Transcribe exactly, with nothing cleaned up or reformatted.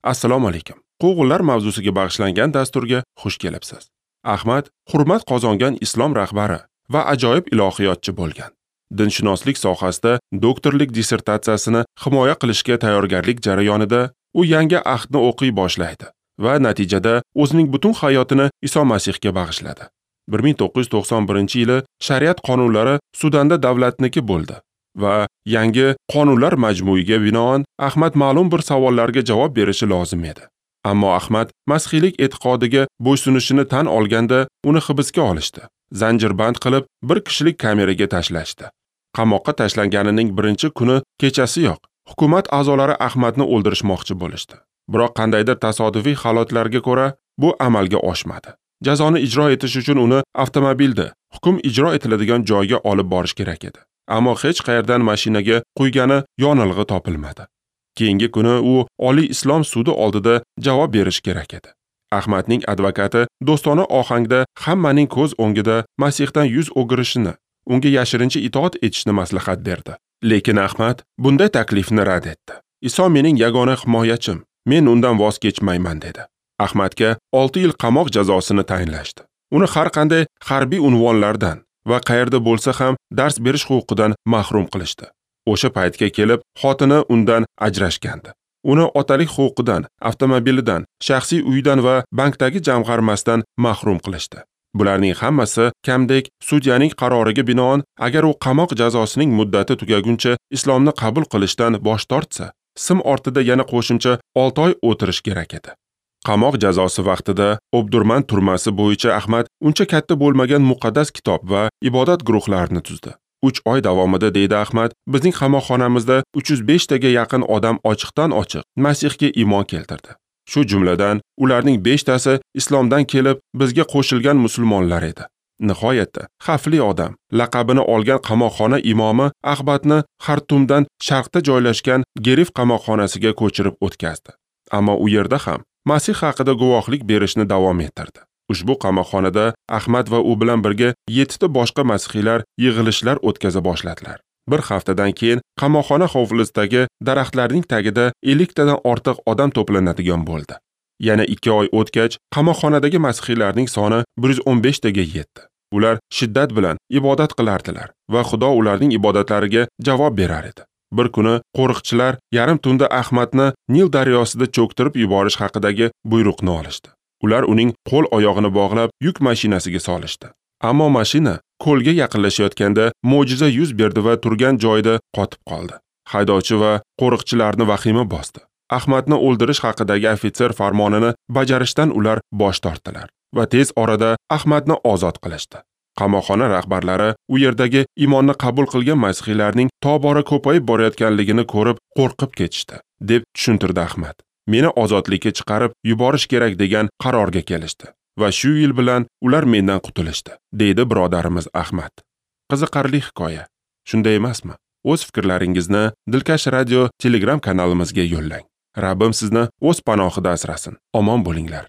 Assalomu alaykum. Quvg'inlar mavzusiga bag'ishlangan dasturga xush kelibsiz. Ahmad hurmat qozongan islom rahbari va ajoyib ilohiyotchi bo'lgan. Dinshunoslik sohasida doktorlik dissertatsiyasini himoya qilishga tayyorgarlik jarayonida u yangi ahdni o'qiy boshlaydi va natijada o'zining butun hayotini Iso Masihga bag'ishladi. bir ming to'qqiz yuz to'qson birinchi yili shariat qonunlari Sudanda davlatniki bo'ldi va yangi qonunlar majmuiga binoan Ahmad ma'lum bir savollarga javob berishi lozim edi. Ammo Ahmad masihiylik e'tiqodiga bo'ysunishini tan olganda uni hibsga olishdi. Zanjirband qilib bir kishilik kameraga tashlashdi. Qamoqqa tashlanganining birinchi kuni kechasiyoq hukumat a'zolari Ahmadni o'ldirishmoqchi bo'lishdi. Biroq qandaydir tasodifiy holatlarga ko'ra bu amalga oshmadi. Jazoni ijro etish uchun uni avtomobilda hukm ijro etiladigan joyga olib borish kerak edi. Ammo hech qayerdan mashinaga quygani yonilg'i topilmadi. Keyingi kuni u Oliy Islom sudi oldida javob berish kerak edi. Ahmadning advokati do'stona ohangda hammaning ko'z o'ngida Masihdan yuz o'girishini, unga yashirincha itoat etishni maslahat berdi. Lekin Ahmad bunday taklifni rad etdi. Iso mening yagona himoyachim, men undan voz kechmayman dedi. Ahmadga olti yil qamoq jazosini tayinlashdi. Uni har qanday harbiy unvonlardan va qayerda bo'lsa ham dars berish huquqidan mahrum qilishdi. O'sha paytga kelib xotini undan ajrashgandi. Uni otalik huquqidan, avtomobilidan, shaxsiy uyidan va bankdagi jamg'armasidan mahrum qilishdi. Bularning hammasi kamdek sudyaning qaroriga binoan, agar u qamoq jazosining muddati tugaguncha islomni qabul qilishdan bosh tortsa, sim ortida yana qo'shimcha olti oy o'tirish kerak edi. Qamoq jazosi vaqtida Obdurman turmasi bo'yicha Ahmad uncha katta bo'lmagan muqaddas kitob va ibodat guruhlarini tuzdi. uch oy davomida, deydi Ahmad, bizning qamoqxonamizda uch yuz besh taga yaqin odam ochiqdan ochiq Masihga iymon keltirdi. Shu jumladan ularning beshtasi islomdan kelib bizga qo'shilgan musulmonlar edi. Nihoyatda xavfli odam laqabini olgan qamoqxona imomi Ahmadni Xartumdan sharqda joylashgan Gerif qamoqxonasiga ko'chirib o'tkazdi. Ammo u yerda ham Masih haqida guvohlik berishni davom ettirdi. Ushbu qamoqxonada Ahmad va u bilan birga yettita boshqa masihiylar yig'ilishlar o'tkaza boshladilar. Bir haftadan keyin qamoqxona hovlisidagi daraxtlarning tagida elliktadan ortiq odam to'planadigan bo'ldi. Yana ikki oy o'tgach, qamoqxonadagi masihiylarning soni bir yuz o'n besh taga yetdi. Ular shiddat bilan ibodat qilardilar va Xudo ularning ibodatlariga javob berar edi. Bir kuni qo'riqchilar yarim tunda Ahmadni Nil daryosida cho'ktirib yuborish haqidagi buyruqni olishdi. Ular uning qo'l oyog'ini bog'lab yuk mashinasiga solishdi. Ammo mashina ko'lga yaqinlashayotganda mo'jiza yuz berdi va turgan joyida qotib qoldi. Haydovchi va qo'riqchilarni vahima bosdi. Ahmadni o'ldirish haqidagi ofitser farmonini bajarishdan ular bosh tortdilar va tez orada Ahmadni ozod qilishdi. Qamoqxona rahbarlari u yerdagi iymonni qabul qilgan masihiylarning tobora ko'payib borayotganligini ko'rib qo'rqib ketishdi, deb tushuntirdi Ahmad. Meni ozodlikka chiqarib yuborish kerak degan qarorga kelishdi va shu yil bilan ular mendan qutulishdi, deydi birodarimiz Ahmad. Qiziqarli hikoya. Shunday emasmi? O'z fikrlaringizni Dilkash radio Telegram kanalimizga yo'llang. Rabbim sizni o'z panohida asrasin. Omon bo'linglar.